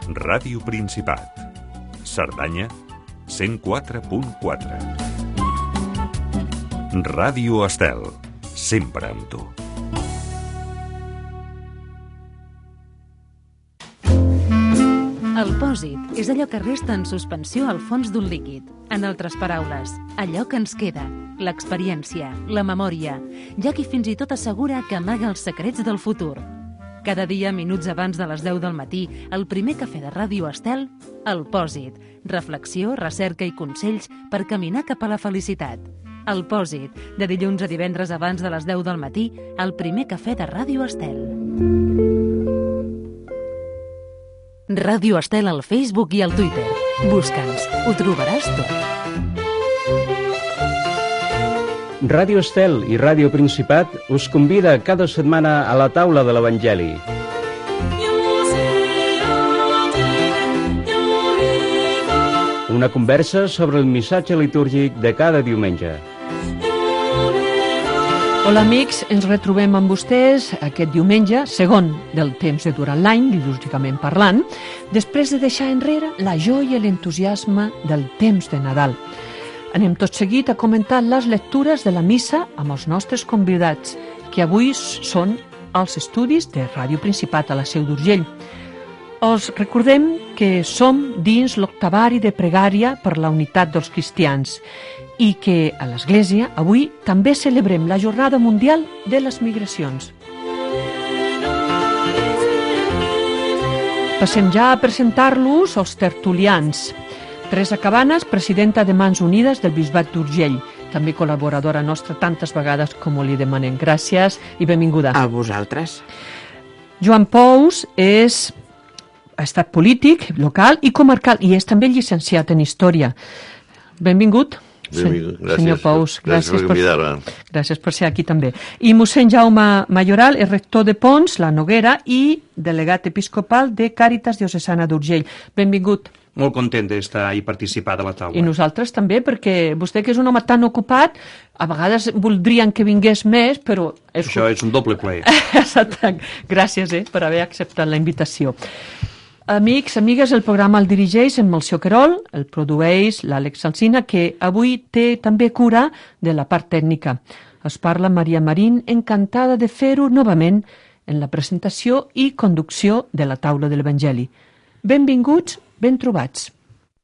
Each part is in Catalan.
Ràdio Principat. Cerdanya, 104.4. Ràdio Estel, sempre amb tu. El pòsit és allò que resta en suspensió al fons d'un líquid. En altres paraules, allò que ens queda, l'experiència, la memòria. Hi ha qui fins i tot assegura que amaga els secrets del futur. Cada dia, minuts abans de les 10 del matí, el primer cafè de Ràdio Estel, El Pòsit. Reflexió, recerca i consells per caminar cap a la felicitat. El Pòsit, de dilluns a divendres abans de les 10 del matí, el primer cafè de Ràdio Estel. Ràdio Estel al Facebook i al Twitter. Busca'ns, ho trobaràs tot. Ràdio Estel i Ràdio Principat us convida cada setmana a la taula de l'Evangeli. Una conversa sobre el missatge litúrgic de cada diumenge. Hola amics, ens retrobem amb vostès aquest diumenge, segon del temps de durant l'any, litúrgicament parlant, després de deixar enrere la joia i l'entusiasme del temps de Nadal. Anem tot seguit a comentar les lectures de la missa amb els nostres convidats, que avui són als estudis de Ràdio Principat a la Seu d'Urgell. Us recordem que som dins l'octavari de pregària per la unitat dels cristians i que a l'Església avui també celebrem la Jornada Mundial de les Migracions. Passem ja a presentar-los als tertulians. Teresa Cabanes, presidenta de Mans Unides del Bisbat d'Urgell, també col·laboradora nostra tantes vegades com li demanem. Gràcies i benvinguda. A vosaltres. Joan Pous ha estat polític local i comarcal i és també llicenciat en Història. Benvingut. Benvingut. Gràcies, senyor Pous. gràcies per convidar-me. Gràcies per ser aquí també. I mossèn Jaume Mayoral és rector de Pons, la Noguera, i delegat episcopal de Càritas Diocesana d'Urgell. Benvingut. Molt content d'estar i participar de la taula. I nosaltres també, perquè vostè, que és un home tan ocupat, a vegades voldrien que vingués més, però... Això és un doble plaer. Exacte. Gràcies per haver acceptat la invitació. Amics, amigues, el programa el dirigeix en Melcior Querol, el produeix l'Àlex Alsina, que avui té també cura de la part tècnica. Es parla Maria Marín, encantada de fer-ho novament en la presentació i conducció de la taula de l'Evangeli. Benvinguts, ben trobats.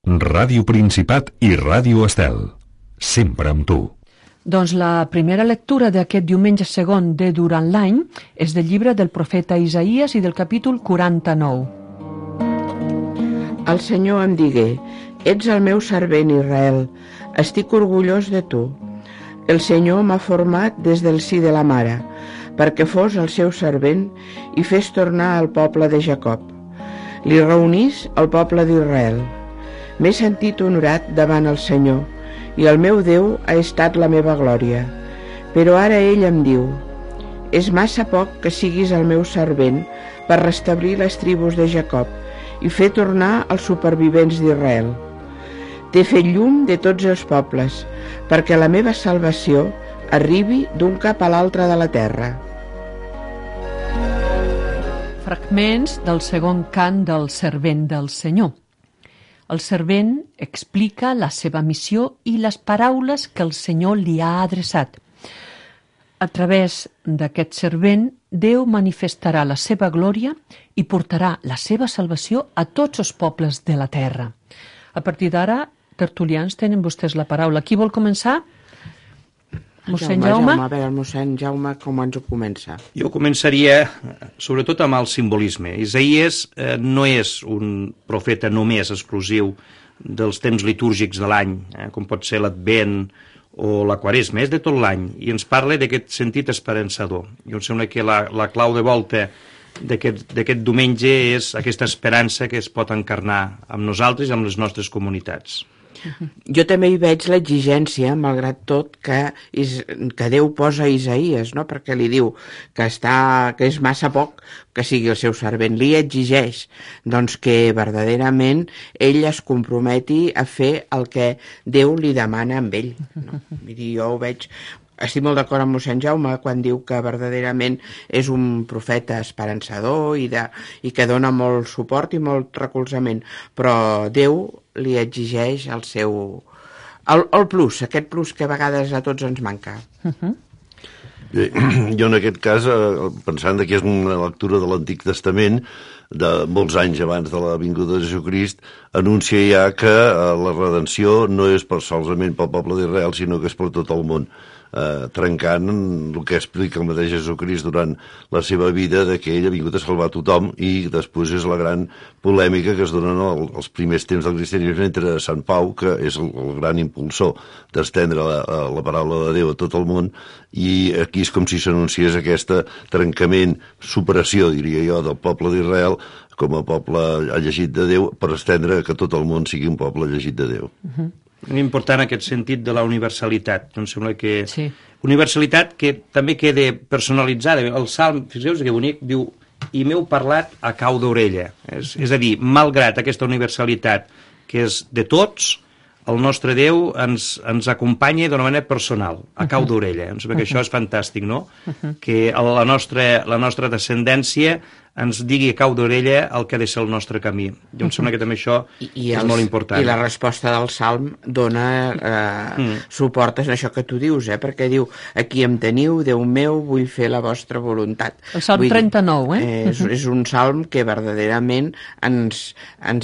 Ràdio Principat i Ràdio Estel, sempre amb tu. Doncs la primera lectura d'aquest diumenge segon de durant l'any és del llibre del profeta Isaïes i del capítol 49. El Senyor em digué: ets el meu servent Israel, estic orgullós de tu. El Senyor m'ha format des del si de la mare, perquè fos el seu servent i fes tornar al poble de Jacob. Li reunís el poble d'Israel. M'he sentit honorat davant el Senyor, i el meu Déu ha estat la meva glòria. Però ara ell em diu: és massa poc que siguis el meu servent per restablir les tribus de Jacob i fer tornar els supervivents d'Israel. T'he fet llum de tots els pobles, perquè la meva salvació arribi d'un cap a l'altre de la terra. Fragments del segon cant del servent del Senyor. El servent explica la seva missió i les paraules que el Senyor li ha adreçat. A través d'aquest servent, Déu manifestarà la seva glòria i portarà la seva salvació a tots els pobles de la terra. A partir d'ara, tertulians, tenen vostès la paraula. Qui vol començar? Mossèn Jaume? A veure, el mossèn Jaume, com ens ho comença? Jo començaria, sobretot, amb el simbolisme. Isaïes no és un profeta només exclusiu dels temps litúrgics de l'any, com pot ser l'Advent o la Quaresma, és de tot l'any, i ens parla d'aquest sentit esperançador. Jo em sembla que la clau de volta d'aquest diumenge és aquesta esperança que es pot encarnar amb nosaltres i amb les nostres comunitats. Jo també hi veig l'exigència, malgrat tot, que Déu posa a Isaïes, no? Perquè li diu que és massa poc que sigui el seu servent. Li exigeix doncs, que verdaderament ell es comprometi a fer el que Déu li demana amb ell. No? Jo ho veig Estic molt d'acord amb mossèn Jaume quan diu que verdaderament és un profeta esperançador i que dona molt suport i molt recolzament, però Déu li exigeix el seu... el plus, aquest plus que a vegades a tots ens manca. Jo en aquest cas, pensant que és una lectura de l'Antic Testament, de molts anys abans de la vinguda de Jesucrist, anuncia ja que la redenció no és solament pel poble d'Israel, sinó que és per tot el món, trencant el que explica el mateix Jesucrist durant la seva vida, que ell ha vingut a salvar tothom, i després és la gran polèmica que es dona als primers temps del cristianisme entre Sant Pau, que és el gran impulsor d'estendre la paraula de Déu a tot el món, i aquí és com si s'anunciés aquest trencament, superació, diria jo, del poble d'Israel com a poble llegit de Déu, per estendre que tot el món sigui un poble llegit de Déu. Important aquest sentit de la universalitat. Em sembla que... Sí. Universalitat que també queda personalitzada. El Salm, fixeu-vos que bonic, diu i m'heu parlat a cau d'orella. És a dir, malgrat aquesta universalitat que és de tots, el nostre Déu ens acompanya d'una manera personal, a cau d'orella. Em sembla que això és fantàstic, no? Que la nostra descendència ens digui a cau d'orella el que ha de ser el nostre camí. Jo em sembla que també això és molt important. I la resposta del Salm dona suport a això que tu dius, perquè diu, aquí em teniu, Déu meu, vull fer la vostra voluntat. El Salm 39, És un salm que verdaderament ens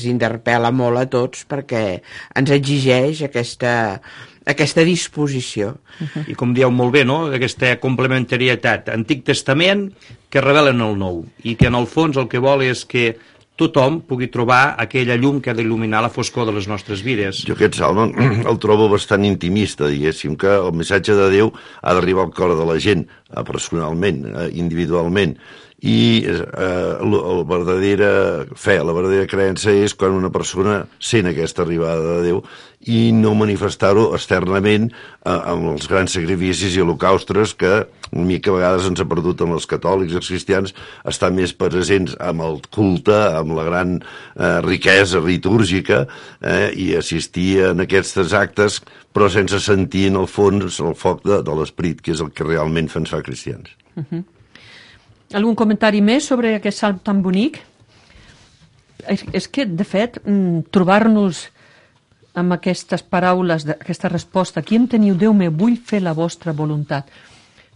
interpel·la molt a tots perquè ens exigeix aquesta disposició. I com dieu molt bé, no?, aquesta complementarietat. Antic Testament que revelen el Nou, i que en el fons el que vol és que tothom pugui trobar aquella llum que ha d'il·luminar la foscor de les nostres vides. Jo aquest salm el trobo bastant intimista, diguéssim, que el missatge de Déu ha d'arribar al cor de la gent, personalment, individualment, i la verdadera fe, la verdadera creença és quan una persona sent aquesta arribada de Déu i no manifestar-ho externament amb els grans sacrificis i holocaustres que una mica a vegades ens ha perdut amb els catòlics i els cristians, estar més presents amb el culte, amb la gran riquesa litúrgica i assistir en aquests actes, però sense sentir en el fons el foc de l'esperit, que és el que realment ens fa cristians. Algun comentari més sobre aquest salm tan bonic? És que, de fet, trobar-nos amb aquestes paraules, aquesta resposta, aquí em teniu, Déu meu, vull fer la vostra voluntat.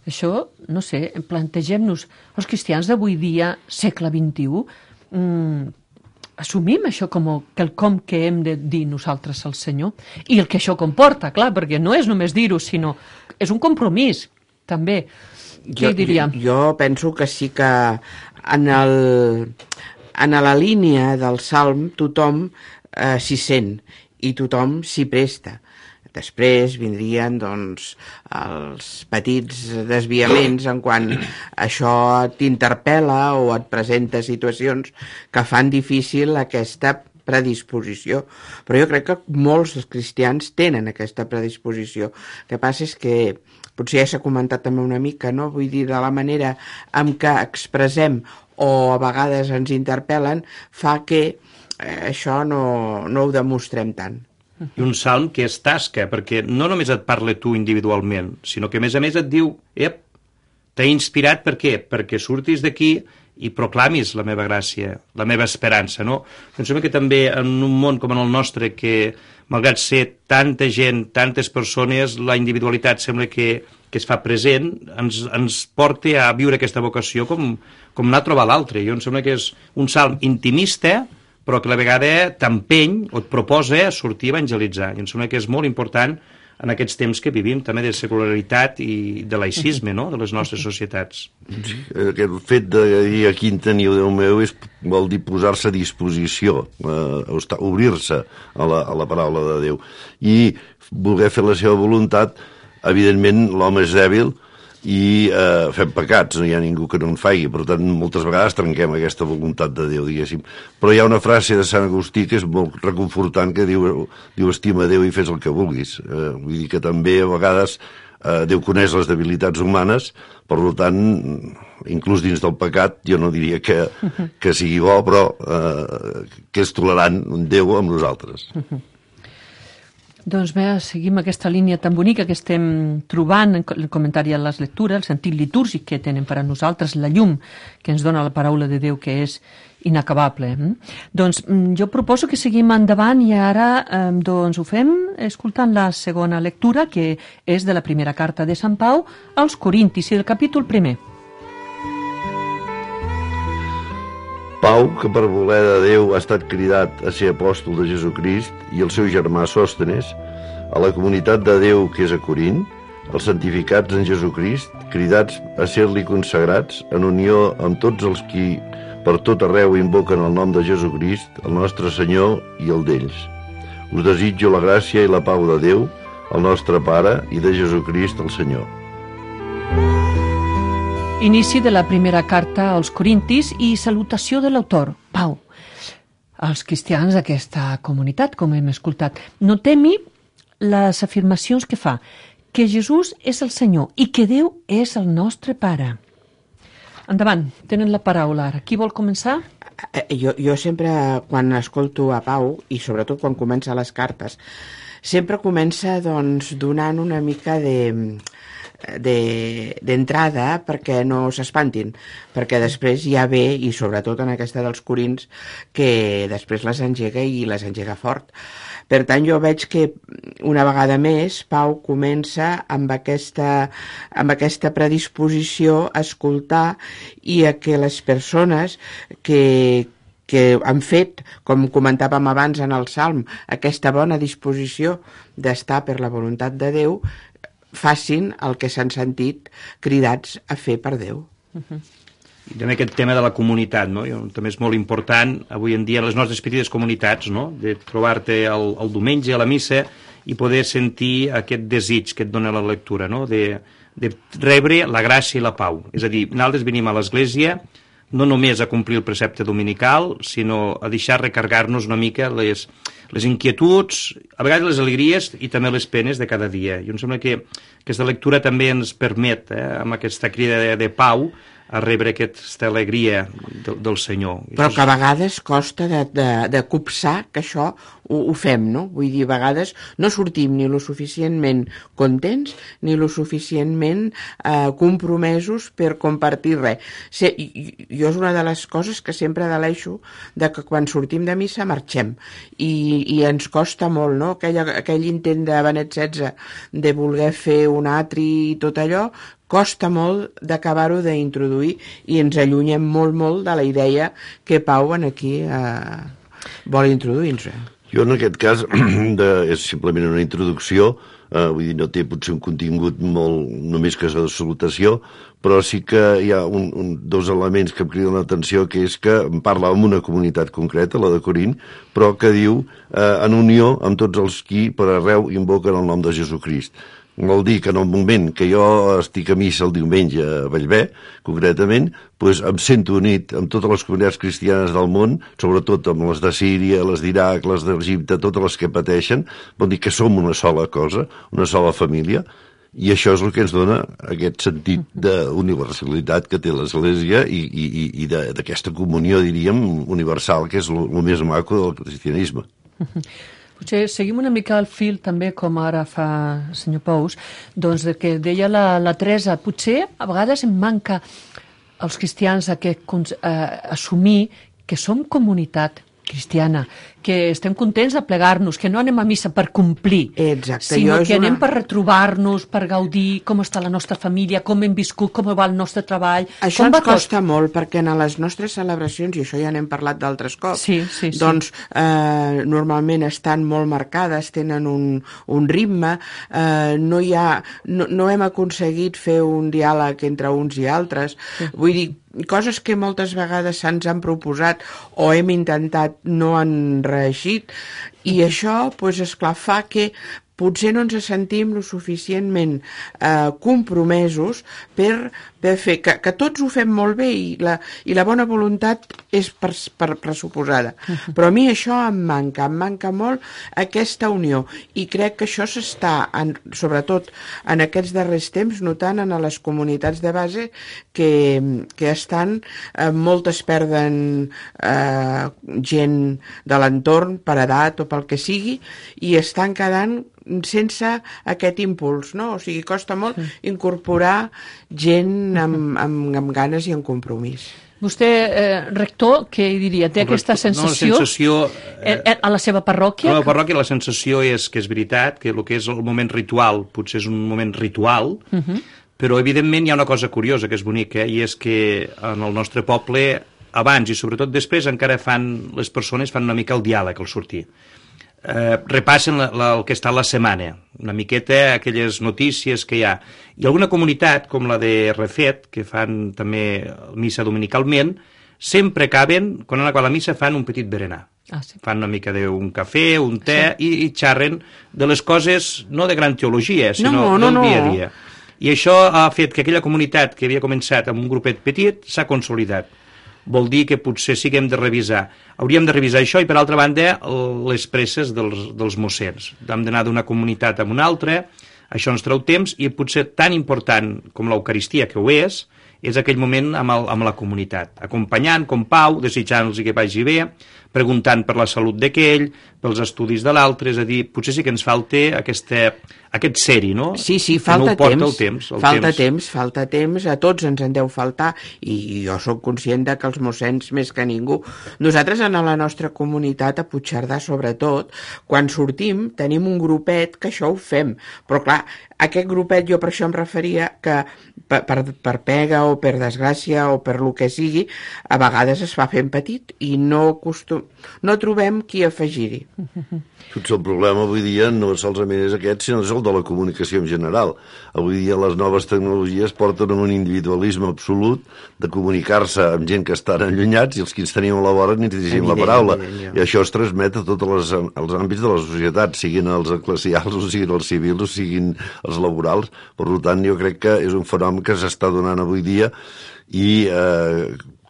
Això, no sé, plantegem-nos, els cristians d'avui dia, segle XXI, assumim això com quelcom que hem de dir nosaltres al Senyor, i el que això comporta, clar, perquè no és només dir-ho, sinó és un compromís, també. Què diria? Jo penso que sí que en la línia del Salm tothom s'hi sent i tothom s'hi presta. Després vindrien doncs, els petits desviaments en quan això t'interpel·la o et presenta situacions que fan difícil aquesta predisposició. Però jo crec que molts dels cristians tenen aquesta predisposició. El que passa és que potser ja s'ha comentat també una mica, no? Vull dir, de la manera en què expressem o a vegades ens interpel·len fa que això no ho demostrem tant. I un salm que és tasca, perquè no només et parla tu individualment, sinó que a més et diu, t'he inspirat per què? Perquè surtis d'aquí i proclamis la meva gràcia, la meva esperança, no? Em sembla que també en un món com en el nostre, que malgrat ser tanta gent, tantes persones, la individualitat sembla que es fa present, ens porta a viure aquesta vocació com anar a trobar l'altre. Jo em sembla que és un salm intimista, però que a la vegada t'empeny o et proposa sortir a evangelitzar. I em sembla que és molt important en aquests temps que vivim, també de secularitat i de laïcisme, no?, de les nostres societats. Sí, aquest fet de dir aquí en teniu, Déu meu, vol dir posar-se a disposició, obrir-se a la paraula de Déu. I voler fer la seva voluntat, evidentment l'home és dèbil i fem pecats, no hi ha ningú que no en faci, per tant moltes vegades trenquem aquesta voluntat de Déu, diguéssim. Però hi ha una frase de Sant Agustí que és molt reconfortant, que diu estima Déu i fes el que vulguis. Vull dir que també a vegades Déu coneix les debilitats humanes, per tant, inclús dins del pecat, jo no diria que sigui bo, però que és tolerant Déu amb nosaltres. Doncs bé, seguim aquesta línia tan bonica que estem trobant en el comentari a les lectures, el sentit litúrgic que tenen per a nosaltres, la llum que ens dona la paraula de Déu, que és inacabable. Doncs jo proposo que seguim endavant i ara doncs ho fem escoltant la segona lectura, que és de la primera carta de Sant Pau als Corintis i del capítol 1. Pau, que per voler de Déu ha estat cridat a ser apòstol de Jesucrist, i el seu germà Sòstenes, a la comunitat de Déu que és a Corint, els santificats en Jesucrist, cridats a ser-li consagrats en unió amb tots els qui per tot arreu invoquen el nom de Jesucrist, el nostre Senyor i el d'ells. Us desitjo la gràcia i la pau de Déu, el nostre Pare, i de Jesucrist el Senyor. Inici de la primera carta als Corintis i salutació de l'autor, Pau. Els cristians d'aquesta comunitat, com hem escoltat, no temi les afirmacions que fa, que Jesús és el Senyor i que Déu és el nostre Pare. Endavant, tenen la paraula ara. Qui vol començar? Jo sempre, quan escolto a Pau, i sobretot quan comença les cartes, sempre comença doncs, donant una mica d'entrada perquè no s'espantin, perquè després ja ve, i sobretot en aquesta dels Corints, que després les engega i les engega fort. Per tant, jo veig que una vegada més Pau comença amb aquesta predisposició a escoltar i a que les persones que han fet, com comentàvem abans en el Salm, aquesta bona disposició d'estar per la voluntat de Déu, facin el que s'han sentit cridats a fer per Déu. I també aquest tema de la comunitat, no? També és molt important avui en dia les nostres petites comunitats, no? De trobar-te el diumenge a la missa i poder sentir aquest desig que et dona la lectura, no? De rebre la gràcia i la pau. És a dir, nosaltres venim a l'església no només a complir el precepte dominical, sinó a deixar recargar-nos una mica les inquietuds, a vegades les alegries i també les penes de cada dia. I em sembla que aquesta lectura també ens permet, amb aquesta crida de pau, a rebre aquesta alegria del Senyor. Però que a vegades costa de copsar que això ho fem, no? Vull dir, a vegades no sortim ni lo suficientment contents ni lo suficientment compromesos per compartir res. Jo és una de les coses que sempre deleixo de que quan sortim de missa marxem i ens costa molt, no? Aquell intent de Benet XVI de voler fer un atri i tot allò, costa molt d'acabar-ho d'introduir i ens allunyem molt de la idea que Pau aquí vol introduir-nos. Jo en aquest cas és simplement una introducció, vull dir, no té potser un contingut molt només que és de salutació, però sí que hi ha dos elements que em criden l'atenció, que és que em parla amb una comunitat concreta, la de Corint, però que diu en unió amb tots els qui per arreu invoquen el nom de Jesucrist. Vol dir que en el moment que jo estic a missa el diumenge a Bellver, concretament, doncs em sento unit amb totes les comunitats cristianes del món, sobretot amb les de Síria, les d'Iraq, les d'Egipte, totes les que pateixen. Vol dir que som una sola cosa, una sola família, i això és el que ens dona aquest sentit d'universalitat que té l'Església i d'aquesta comunió, diríem, universal, que és el més maco del cristianisme. Potser seguim una mica el fil també, com ara fa el senyor Pous, doncs que deia la Teresa, potser a vegades em manca als cristians assumir que som comunitat cristiana, que estem contents de plegar-nos, que no anem a missa per complir, sinó que anem per retrobar-nos, per gaudir com està la nostra família, com hem viscut, com va el nostre treball. Això ens costa molt, perquè en les nostres celebracions, i això ja n'hem parlat d'altres cops, doncs normalment estan molt marcades, tenen un ritme, no hem aconseguit fer un diàleg entre uns i altres, vull dir, coses que moltes vegades se'ns han proposat o hem intentat no han reeixit, i això, doncs, esclar, fa que potser no ens sentim lo suficientment compromesos per fer, que tots ho fem molt bé i la bona voluntat és pressuposada. Però a mi això em manca molt aquesta unió, i crec que això s'està, sobretot en aquests darrers temps, notant en les comunitats de base que estan, moltes perden gent de l'entorn per edat o pel que sigui, i estan quedant sense aquest impuls, no? O sigui, costa molt incorporar gent amb ganes i amb compromís. Vostè, rector, què diria? Té aquesta sensació, a la seva parròquia? A la parròquia la sensació és que és veritat, que el que és el moment ritual potser és un moment ritual, però evidentment hi ha una cosa curiosa que és bonica, i és que en el nostre poble, abans i sobretot després, encara les persones fan una mica el diàleg al sortir. Repassen el que està a la setmana, una miqueta aquelles notícies que hi ha. I alguna comunitat, com la de Refet, que fan també missa dominicalment, sempre acaben, quan han acabat la missa, fan un petit berenar. Sí. Fan una mica d'un cafè, un te, i xerren de les coses, no de gran teologia, sinó del dia a dia. I això ha fet que aquella comunitat que havia començat amb un grupet petit s'ha consolidat. Vol dir que potser sí que hem de revisar. Hauríem de revisar això, i per altra banda les presses dels mossens. Hem d'anar d'una comunitat a una altra, això ens treu temps, i potser tan important com l'Eucaristia, que ho és aquell moment amb la comunitat, acompanyant com Pau, desitjant-los que vagi bé, preguntant per la salut d'aquell, pels estudis de l'altre, és a dir, potser sí que ens falta aquest ser-hi, no? Sí, falta temps. Falta temps, a tots ens en deu faltar, i jo sóc conscient que els mossens, més que ningú, nosaltres en la nostra comunitat, a Puigcerdà sobretot, quan sortim tenim un grupet que això ho fem, però clar, aquest grupet, jo per això em referia que per pega o per desgràcia o per lo que sigui, a vegades es fa fent petit i no trobem qui afegir-hi. Potser el problema avui dia no solament és aquest, sinó és el de la comunicació en general. Avui dia les noves tecnologies porten un individualisme absolut de comunicar-se amb gent que estan allunyats, i els que ens tenim a la vora ni dirigim la paraula. I això es transmet a tots els àmbits de la societat, siguin els eclesials, o siguin els civils, o siguin els laborals. Per tant, jo crec que és un fenomen que s'està donant avui dia, i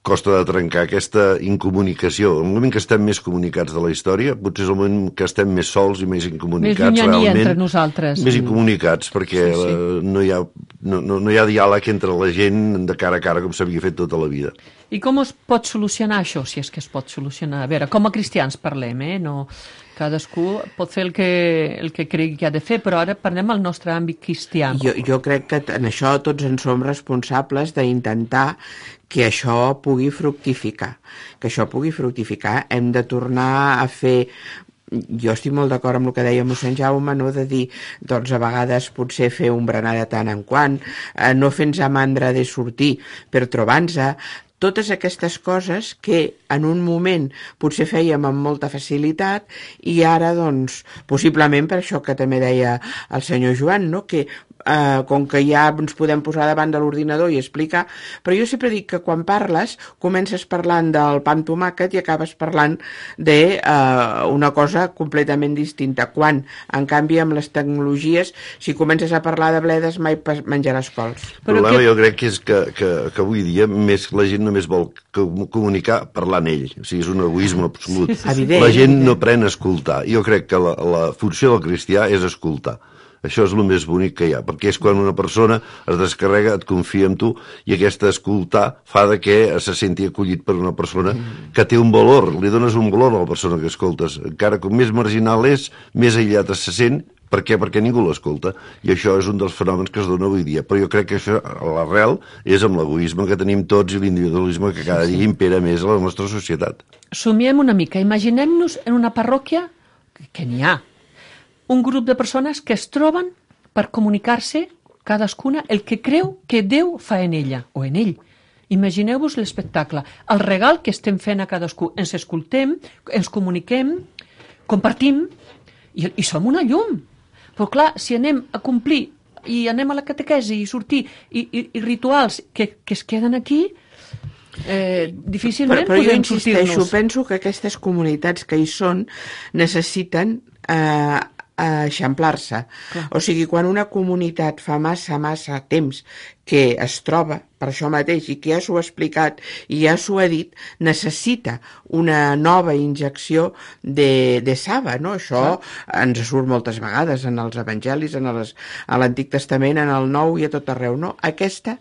costa de trencar aquesta incomunicació. El moment que estem més comunicats de la història, potser és el moment que estem més sols i més incomunicats. Més llunyania entre nosaltres. Més incomunicats, perquè no hi ha diàleg entre la gent de cara a cara com s'havia fet tota la vida. I com es pot solucionar això, si és que es pot solucionar? A veure, com a cristians parlem, no? Cadascú pot fer el que cregui que ha de fer, però ara parlem al nostre àmbit cristià. Jo crec que en això tots en som responsables, d'intentar que això pugui fructificar. Hem de tornar a fer... Jo estic molt d'acord amb el que deia mossèn Jaume, no? De dir, doncs a vegades potser fer un berenar de tant en quant, no fer-nos a mandra de sortir per trobar-nos, totes aquestes coses que en un moment potser fèiem amb molta facilitat, i ara, doncs, possiblement per això que també deia el senyor Joan, no? Que com que ja ens podem posar davant de l'ordinador i explicar, però jo sempre dic que quan parles comences parlant del pa amb tomàquet i acabes parlant d'una cosa completament distinta, quan en canvi amb les tecnologies, si comences a parlar de bledes mai menjaràs cols. El problema jo crec que és que avui dia la gent només vol comunicar parlant ell, o sigui, és un egoisme absolut. La gent no pren a escoltar. Jo crec que la funció del cristià és escoltar. Això és el més bonic que hi ha, perquè és quan una persona es descarrega, et confia en tu, i aquesta escoltar fa que se senti acollit per una persona que té un valor, li dones un valor a la persona que escoltes. Encara com més marginal és, més aïllat se sent. Per què? Perquè ningú l'escolta. I això és un dels fenòmens que es dona avui dia. Però jo crec que això, a l'arrel, és amb l'egoisme que tenim tots i l'individualisme que cada dia impera més a la nostra societat. Somiem una mica. Imaginem-nos en una parròquia, que n'hi ha, un grup de persones que es troben per comunicar-se cadascuna el que creu que Déu fa en ella o en ell. Imagineu-vos l'espectacle, el regal que estem fent a cadascú. Ens escoltem, ens comuniquem, compartim i som una llum. Però clar, si anem a complir i anem a la catequesi i sortir i rituals que es queden aquí, difícilment però podem sortir-nos. Però jo insisteixo, penso que aquestes comunitats que hi són necessiten eixamplar-se. O sigui, quan una comunitat fa massa temps que es troba per això mateix i que ja s'ho ha explicat i ja s'ho ha dit, necessita una nova injecció de saba, no? Això ens surt moltes vegades en els evangelis, a l'Antic Testament, en el Nou i a tot arreu, no? Aquesta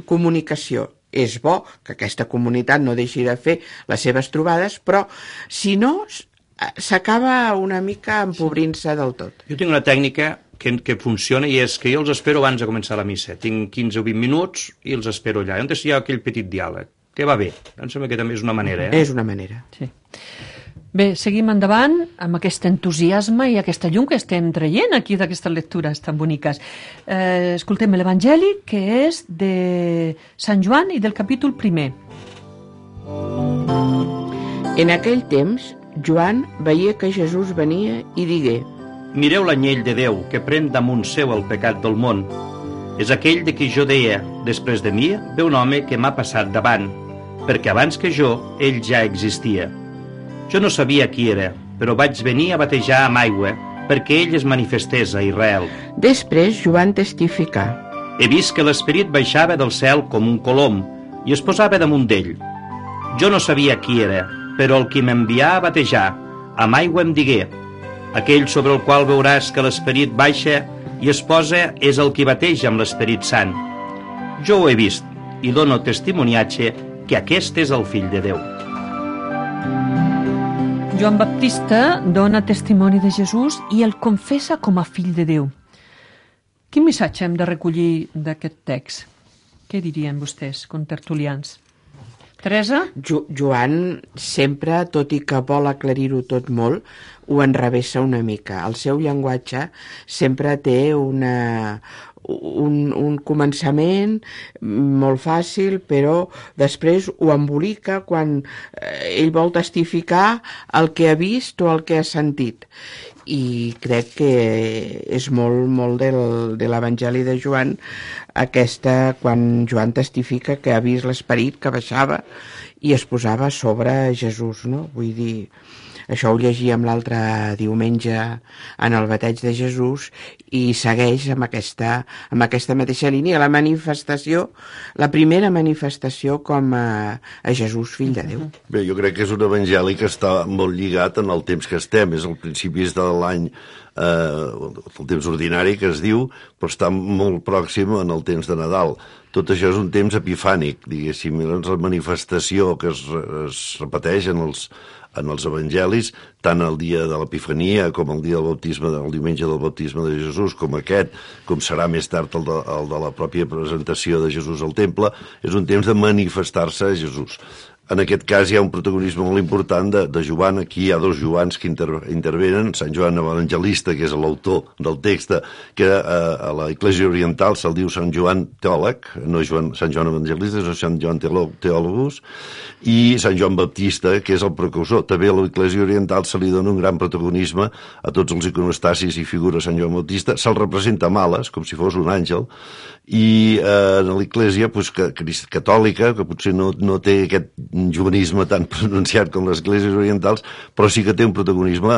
comunicació. És bo que aquesta comunitat no deixi de fer les seves trobades, però si no, s'acaba una mica empobrint-se del tot. Jo tinc una tècnica que funciona i és que jo els espero abans de començar la missa. Tinc 15 o 20 minuts i els espero allà. On hi ha aquell petit diàleg, que va bé. Em sembla que també és una manera. És una manera. Sí. Bé, seguim endavant amb aquest entusiasme i aquesta llum que estem traient aquí d'aquestes lectures tan boniques. Escoltem l'Evangeli, que és de Sant Joan i del capítol 1. En aquell temps, Joan veia que Jesús venia i digué: Mireu l'anyell de Déu que pren damunt seu el pecat del món. És aquell de qui jo deia, després de mi ve un home que m'ha passat davant, perquè abans que jo, ell ja existia. Jo no sabia qui era, però vaig venir a batejar amb aigua perquè ell es manifestés a Israel. Després Joan testificà: He vist que l'Esperit baixava del cel com un colom i es posava damunt d'ell. Jo no sabia qui era, però el qui m'envià a batejar amb aigua em digué: Aquell sobre el qual veuràs que l'Esperit baixa i es posa és el qui bateja amb l'Esperit Sant. Jo ho he vist i dono testimoniatge que aquest és el Fill de Déu. Joan Baptista dona testimoni de Jesús i el confessa com a fill de Déu. Quin missatge hem de recollir d'aquest text? Què dirien vostès, contertulians? Teresa? Joan sempre, tot i que vol aclarir-ho tot molt, ho enrevessa una mica. El seu llenguatge sempre té un començament molt fàcil, però després ho embolica quan ell vol testificar el que ha vist o el que ha sentit. I crec que és molt de l'Evangeli de Joan aquesta, quan Joan testifica que ha vist l'Esperit que baixava i es posava sobre Jesús, no? Vull dir, això ho llegíem l'altre diumenge en el bateig de Jesús i segueix amb aquesta mateixa línia, la manifestació, la primera manifestació com a Jesús, fill de Déu. Bé, jo crec que és un evangeli que està molt lligat en el temps que estem, és el principis de l'any, el temps ordinari que es diu, però està molt pròxim en el temps de Nadal. Tot això és un temps epifànic, diguéssim, la manifestació que es repeteix en els evangelis, tant el dia de l'Epifania com el dia del baptisme, el diumenge del baptisme de Jesús, com aquest, com serà més tard el de la pròpia presentació de Jesús al temple, és un temps de manifestar-se a Jesús. En aquest cas hi ha un protagonisme molt important de Joan. Aquí hi ha dos Joans que intervenen. Sant Joan Evangelista, que és l'autor del text, que a l'Església Oriental se'l diu Sant Joan Teòleg, no Sant Joan Evangelista, és Sant Joan Teòlogus, i Sant Joan Baptista, que és el precursor. També a l'Església Oriental se li dona un gran protagonisme a tots els iconostasis i figures Sant Joan Baptista. Se'l representa amb ales, com si fos un àngel, i a l'Església catòlica, que potser no té aquest juvenisme tan pronunciat com les esglésies orientals, però sí que té un protagonisme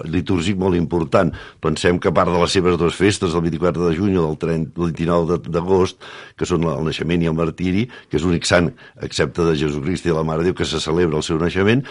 litúrgic molt important. Pensem que a part de les seves dues festes, el 24 de juny o del 29 d'agost, que són el naixement i el martiri, que és l'únic sant, excepte de Jesucrist i de la Mare de Déu, que se celebra el seu naixement,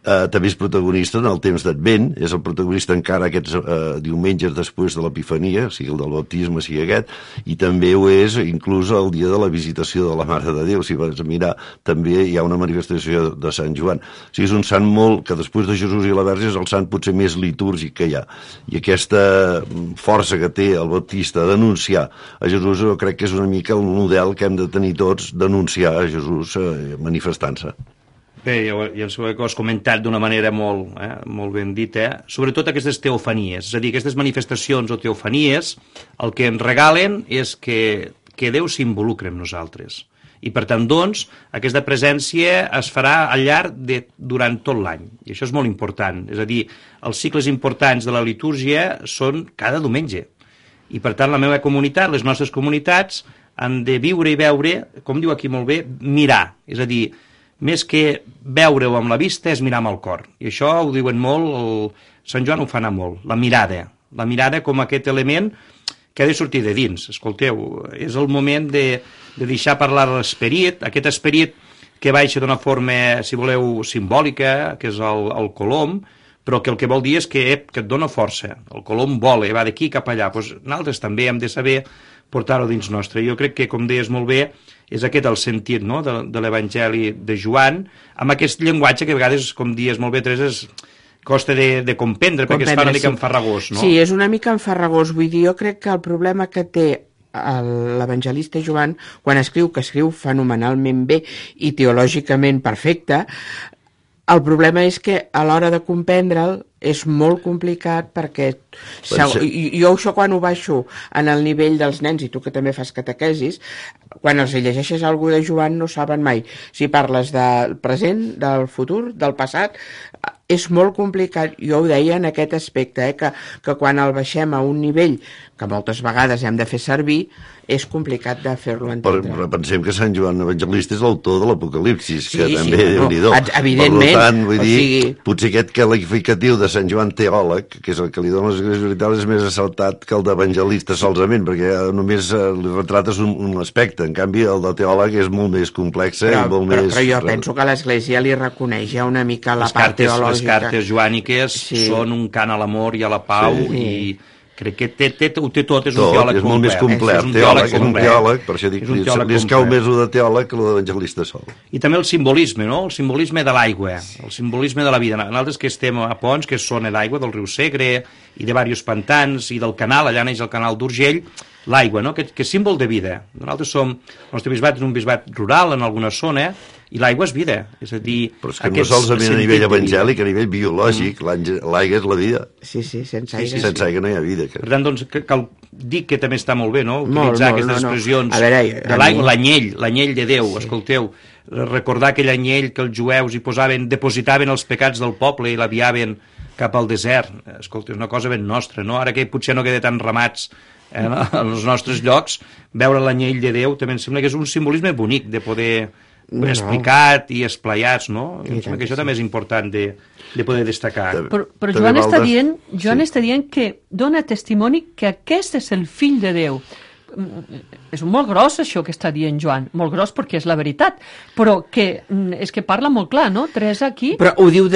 també és protagonista en el temps d'Advent, és el protagonista encara aquests diumenges després de l'Epifania, sigui el del baptisme, sigui aquest, i també ho és inclús el dia de la visitació de la Mare de Déu. Si vas a mirar, també hi ha una manifestació de Sant Joan. O sigui, és un sant que després de Jesús i la Verge és el sant potser més litúrgic que hi ha. I aquesta força que té el Baptista d'anunciar a Jesús, jo crec que és una mica el model que hem de tenir tots, d'anunciar a Jesús manifestant-se. Bé, ja ho has comentat d'una manera molt ben dita, sobretot aquestes teofanies, és a dir, aquestes manifestacions o teofanies, el que ens regalen és que Déu s'involucra amb nosaltres. I per tant, doncs, aquesta presència es farà al llarg durant tot l'any. I això és molt important. És a dir, els cicles importants de la litúrgia són cada diumenge. I per tant, la meva comunitat, les nostres comunitats, han de viure i veure, com diu aquí molt bé, mirar. És a dir, més que veure-ho amb la vista és mirar amb el cor. I això ho diuen molt, Sant Joan ho fa anar molt, la mirada. la mirada com aquest element que ha de sortir de dins. Escolteu, és el moment de deixar parlar l'esperit, aquest esperit que baixa d'una forma, si voleu, simbòlica, que és el colom, però que el que vol dir és que et dona força. El colom vola, va d'aquí cap allà. Doncs nosaltres també hem de saber portar-ho dins nostre. Jo crec que, com deies molt bé, és aquest el sentit, no?, de l'Evangeli de Joan, amb aquest llenguatge que a vegades, com dies molt bé, Teresa, costa de comprendre, perquè es fa una mica enfarragós, no? Sí, és una mica enfarragós. Vull dir, jo crec que el problema que té l'evangelista Joan, quan escriu, que escriu fenomenalment bé i teològicament perfecte, el problema és que a l'hora de comprendre'l és molt complicat perquè jo això quan ho baixo en el nivell dels nens, i tu que també fas catequesis, quan els llegeixes algú de Joan no saben mai si parles del present, del futur, del passat. És molt complicat. Jo ho deia en aquest aspecte, que quan el baixem a un nivell que moltes vegades hem de fer servir, és complicat de fer-lo entendre. Però pensem que Sant Joan Evangelista és l'autor de l'Apocalipsis, que sí, també Déu-n'hi-do. Evidentment. Per tant, vull dir, potser aquest qualificatiu de Sant Joan teòleg, que és el que li dona les Esglésies Orientals, és més assaltat que el d'evangelista solament, perquè només li retrates un aspecte. En canvi, el de teòleg és molt més complex i molt més... Però jo penso que l'Església li reconeix ja una mica la part teològica. Les cartes joàniques són un cant a l'amor i a la pau i crec que ho té tot, és un teòleg complet. És molt més complet, és un teòleg, per això dic, li escau més el de teòleg que el d'evangelista sol. I també el simbolisme, no? El simbolisme de l'aigua, el simbolisme de la vida. Nosaltres que estem a Pons, que és zona d'aigua del riu Segre i de diversos pantans i del canal, allà neix el canal d'Urgell, l'aigua, no? Que és símbol de vida. Nosaltres el nostre bisbat és un bisbat rural en alguna zona i l'aigua és vida. És a dir, però és que no solament a nivell evangèlic, a nivell biològic, l'aigua és la vida. Sí, sense aigua. Sense aigua no hi ha vida. Per tant, doncs, cal dir que també està molt bé, no?, utilitzar aquestes expressions de l'aigua, l'anyell de Déu, escolteu, recordar aquell anyell que els jueus hi depositaven els pecats del poble i l'aviaven cap al desert. Escolta, és una cosa ben nostra, no? Ara que potser no queda tan ramats en els nostres llocs, veure l'anyell de Déu també em sembla que és un simbolisme bonic de poder explicat i esplaiats, no? Em sembla que això també és important de poder destacar. Però Joan està dient que dona testimoni que aquest és el fill de Déu. És molt gros això que està dient Joan, molt gros perquè és la veritat, però que és que parla molt clar, no? Teresa aquí... Però ho diu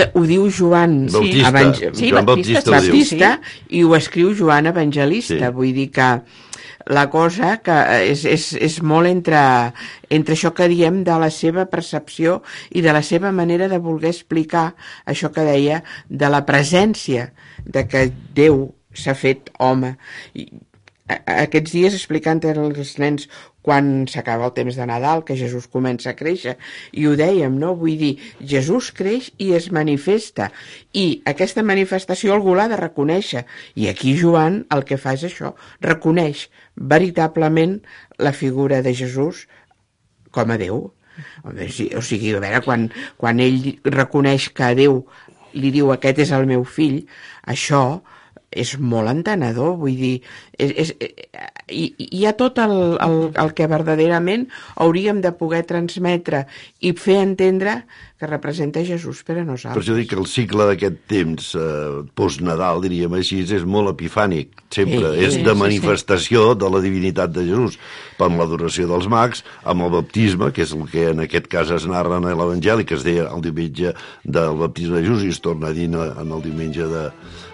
Joan Baptista i ho escriu Joan Evangelista, vull dir que la cosa que és molt entre això que diem de la seva percepció i de la seva manera de voler explicar això que deia de la presència de que Déu s'ha fet home. Aquests dies explicant als nens quan s'acaba el temps de Nadal, que Jesús comença a créixer, i ho dèiem, no? Vull dir, Jesús creix i es manifesta, i aquesta manifestació algú l'ha de reconèixer, i aquí Joan el que fa és això, reconeix veritablement la figura de Jesús com a Déu. O sigui, a veure, quan ell reconeix que a Déu li diu aquest és el meu fill, això és molt entenedor, vull dir, hi ha tot el que verdaderament hauríem de poder transmetre i fer entendre que representa Jesús per a nosaltres. Per això dic que el cicle d'aquest temps post-Nadal, diríem així, és molt epifànic, sempre, és de manifestació de la divinitat de Jesús, amb l'adoració dels mags, amb el baptisme, que és el que en aquest cas es narra en l'Evangeli, que es deia el diumenge del baptisme de Jesús i es torna a dir en el diumenge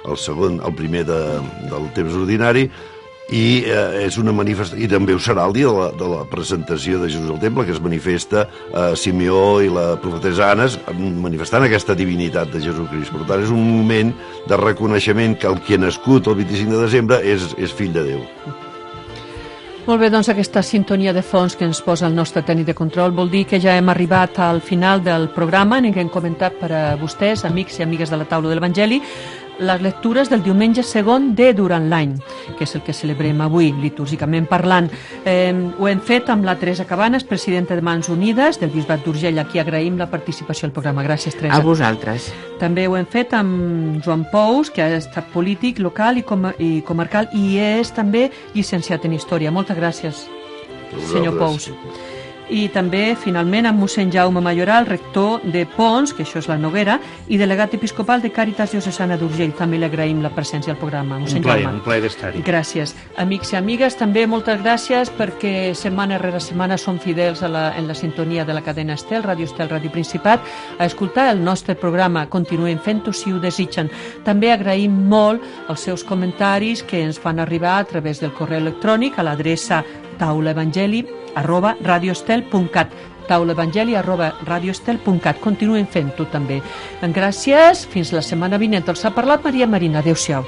el primer del temps ordinari, i és una manifestació, i també ho serà el dia de la presentació de Jesús al temple, que es manifesta Simeó i la profetessa Anna manifestant aquesta divinitat de Jesucrist. Per tant, és un moment de reconeixement que el que ha nascut el 25 de desembre és fill de Déu. Molt bé, doncs aquesta sintonia de fons que ens posa el nostre tècnic de control vol dir que ja hem arribat al final del programa en què hem comentat per a vostès, amics i amigues de la taula de l'Evangeli, les lectures del diumenge segon de durant l'any, que és el que celebrem avui, litúrgicament parlant. Ho hem fet amb la Teresa Cabanes, presidenta de Mans Unides del Bisbat d'Urgell, a qui agraïm la participació al programa. Gràcies, Teresa. A vosaltres. També ho hem fet amb Joan Pous, que ha estat polític local i comarcal i és també llicenciat en Història. Moltes gràcies, senyor Pous. i també, finalment, amb mossèn Jaume Mayoral, rector de Pons, que això és la Noguera, i delegat episcopal de Càritas Diocesana d'Urgell. També li agraïm la presència al programa, mossèn Jaume. Un plaer d'estar-hi. Gràcies. Amics i amigues, també moltes gràcies perquè setmana rere setmana som fidels en la sintonia de la cadena Estel, Ràdio Estel, Ràdio Principat, a escoltar el nostre programa. Continuem fent-ho si ho desitgen. També agraïm molt els seus comentaris que ens fan arribar a través del correu electrònic a l'adreça taulaevangeli@radioestel.cat taulaevangeli@radioestel.cat. Continuen fent-ho també. Gràcies, fins la setmana vinent. Els ha parlat Maria Marina. Adéu-siau.